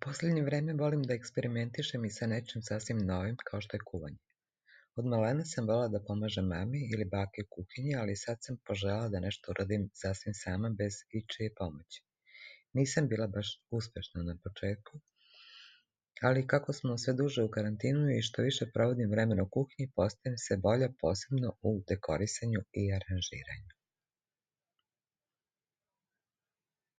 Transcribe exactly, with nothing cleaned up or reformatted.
Poslednje vreme volim da eksperimentišem i sa nečim sasvim novim, kao što je kuvanje. Od malena sam volela da pomažem mami ili baki u kuhinji, ali sad sam poželela da nešto uradim sasvim sama, bez ičije pomoći. Nisam bila baš uspešna na početku, ali kako smo sve duže u karantinu i što više provodim vremena u kuhinji, postajem sve bolja, posebno u dekorisanju i aranžiranju.